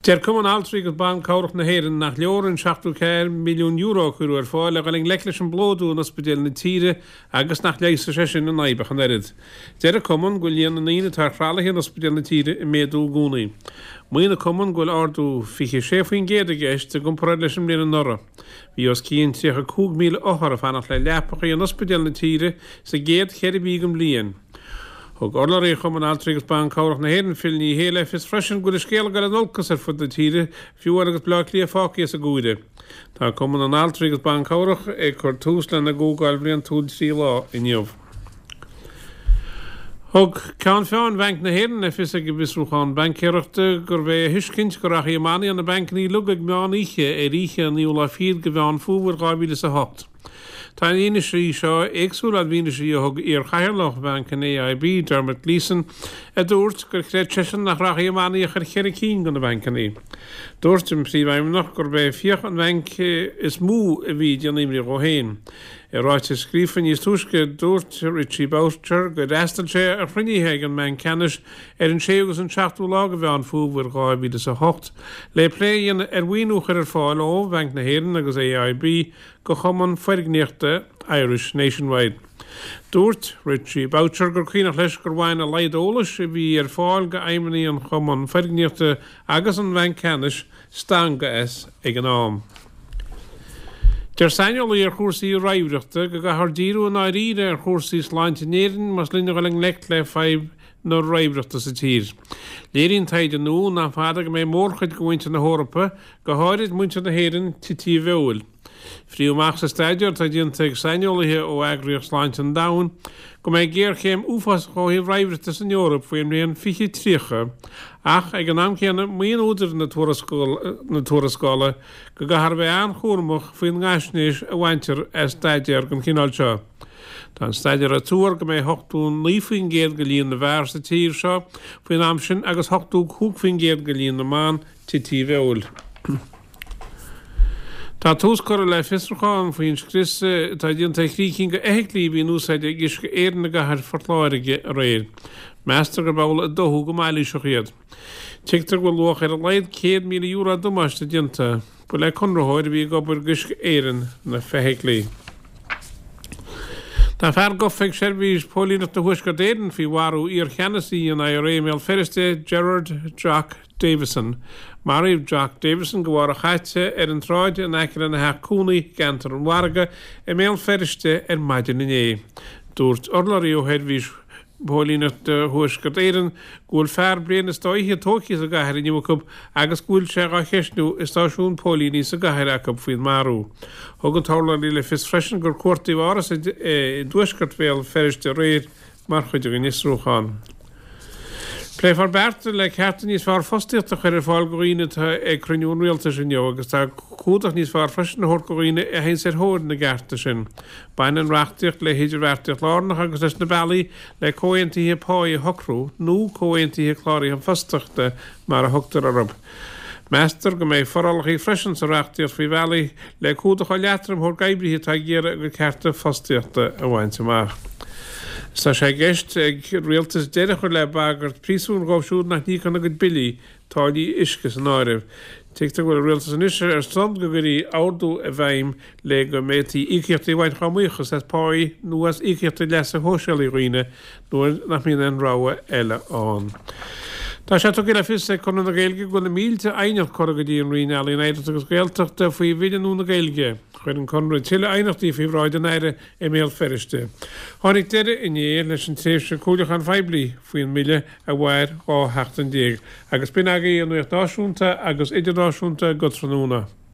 Deir Cumann Altraí agus Ban Cabhrach na hÉireann nach leor an €74 milliún a cuireadh ar fáil le dhul i ngleic leis an bplódú in ospidéil na tíre agus nach leigheasfaidh sé sin an fhadhb ach an oiread. Deir an Cumann go bhfuil líon na ndaoine atá ar thralaithe in ospidéil na tíre ag méadú i gcónaí. Maíonn an Cumann go bhfuil ardú 26% i gceist i gcomparáid leis an mbliain anuraidh. Bhí os cionn 35,000 othar ag fanacht le leapacha in ospidéil na tíre sa gcéad cheithre mhí den bhliain. Thug urlabhraí Chumann Altraí agus Ban Cabhrach na hÉireann, Phil Ní Sheaghdha, le fios freisin go bhfuil an scéal ag dul in olcas ar fud na tíre, fiú amháin agus Baile Átha Cliath fágtha as an gcomhaireamh. Tá Cumann na nAltraí agus Ban Cabhrach ag cur tús lena gcomhdháil bhliantúil 3 lá inniu. Thug Ceann Feadhain Bhanc na hÉireann le fios ag an bhfiosrúchán baincéireachta gurbh é a thuiscint go rachaidh manaí na bancanna uilig ag meán oíche ar oíche an naoú lá fichead de Mheán Fómhair 2008. Tá an fhianaise seo éagsúil ón bhfianaise a thug iar-chathaoirleach Bhanc an AIB, Dermot Gleeson, a dúirt gur chreid seisean nach rachaidh an manaí ach ar cheithre cinn de na bancanna. Dúirt an príomhfheidhmeannach gurb é fiach an bhainc is mó a bhí ag déanamh imní dhó féin. I ráiteas scríofa níos túisce, dúirt Richie Boucher gur fhreastail sé ar chruinnithe ag an mBanc Ceannais ar an 6ú agus an 7ú lá de Mheán Fómhair 2008 le plé a dhéanamh ar mhaoiniú a chur ar fáil ó Bhanc na hÉireann agus AIB go Chumann Foirgníochta Irish Nationwide. Dúirt Richie Boucher gur cuimhneach leis gur bhain a laghad eolais a bhí ar fáil go fheidhmeannaigh an Chumann Foirgníochta agus an Bhainc Ceannais stangadh as ag an am. Deir saineolaí ar chúrsaí raimhreachta go gcaithfear díriú i ndáiríre ar chúrsaí sláinte in Éirinn más linn a dhul i ngleic le fadhb na raimhreachta sa tír. Léiríonn taighde nua nach fada go mbeidh mórchuid de mhuintir na hEorpa, go háirid muintir na hÉireann, tite i bhfeoil. Frítheadh amach sa staidéar atá déanta ag saineolaithe ó Eagraíocht Sláinte an Domhain go mbeidh géarchéim uafásach ó thaobh raimhreachta san Eoraip faoin mbliain 2030 ach ag an am céanna maíonn údair na tuarascála go gcaithfear a bheith an-chúramach faoin ngaisnéis a bhaintear as staidéar den chineál seo. Tá an staidéar ag tuar go mbeidh 89% de líon na bhfear sa tír seo faoin am sin agus 85% de líon na mban tite i bhfeoil. Tá tús curtha le fiosrúchán faoin scrios atá déanta ar thrí cinn de fheithiclí a bhí in úsáid ag Uisce Éireann i gcathair Phort Láirge aréir. Meastar gurb amhlaidh a dódh go mailíseach iad. Tuigtear go bhfuil luach ar a laghad €100,000 damáiste déanta. Ba le conraitheoir a bhí ag obair d'Uisce Éireann na feithiclí. Tá fear gafa ag Seirbhís Póilíneachta Thuaisceart Éireann faoi mharú iar-cheannasaí an IRA i mBéal Feirste, Gerard Jock Davison. Maraíodh Jock Davison go mhárach chaite ar an tsráid in aice lena theach cónaí i gceantar an Mhargaidh i mBéal Feirste ar maidin inné. Dúirt urlabhraí ó Sheirbhís Póilíneachta Thuaisceart Éireann go bhfuil fear bliain is dá fhichead tógtha sa gcathair inniu acu agus go bhfuil sé dhá cheistniú i stáisiún póilíní sa gcathair acu faoin marú. Thug an t-urlabhraí le fios freisin gur cuartaíodh áras i dtuaisceart Bhéal Feirste aréir mar chuid den fhiosrúchán. Pléifear bearta le cearta níos fearr fostaíochta a chur ar fáil do dhaoine atá ag cruinniú an Rialtais inniu agus tá cumhdach níos fearr freisin a thabhairt do dhaoine a théanns ar thóir na gcearta sin. Baineann an reachtaíocht le hidirbheartaíocht lárnach agus leis na bealaí le comhaontuithe páí a shocrú, nó comhaontuithe cláraithe fostaíochta mar a thugtar orthu. Meastar go mbeidh forálacha freisin sa reachtaíocht faoi bhealaí le cumhdach leatroim a thabhairt d'oibrithe atá ag iarraidh a gcuid cearta fostaíochta a bhaint amach. Is tá sé i gceist ag an rialtas deireadh a chur le bagairt príosúin dhóibh siúd nach n-íocann a gcuid billí, táillí uisce san áireamh. Tuigtear go bhfuil an rialtas anois ar son go gcuirfí ordú i bhfeidhm le go bhféadfaí íocaíochtaí a bhaint dá mbuíochas as páí nó as íocaíochtaí leasa shóisialaigh dhaoine nuair nach mbíonn aon rogha eile ann. Tá sé tugtha le fios ag Conradh na Gaeilge go bhfuil na mílte aighneacht curtha go dtí an Roinn Ealaíon, Oidhreachta agus Gaeltachta faoi Bhille nua na Gaeilge. Chuir an Conradh tuilleadh aighneachtaí faoi bhráid an Aire i mBéal Feirste. Tháinig deireadh inné leis an tréimhse comhairliúcháin phoiblí faoin mBille a mhair 12 sheachtain agus b'in agaibh an nuacht náisiúnta agus idirnáisiúnta go tráthnóna.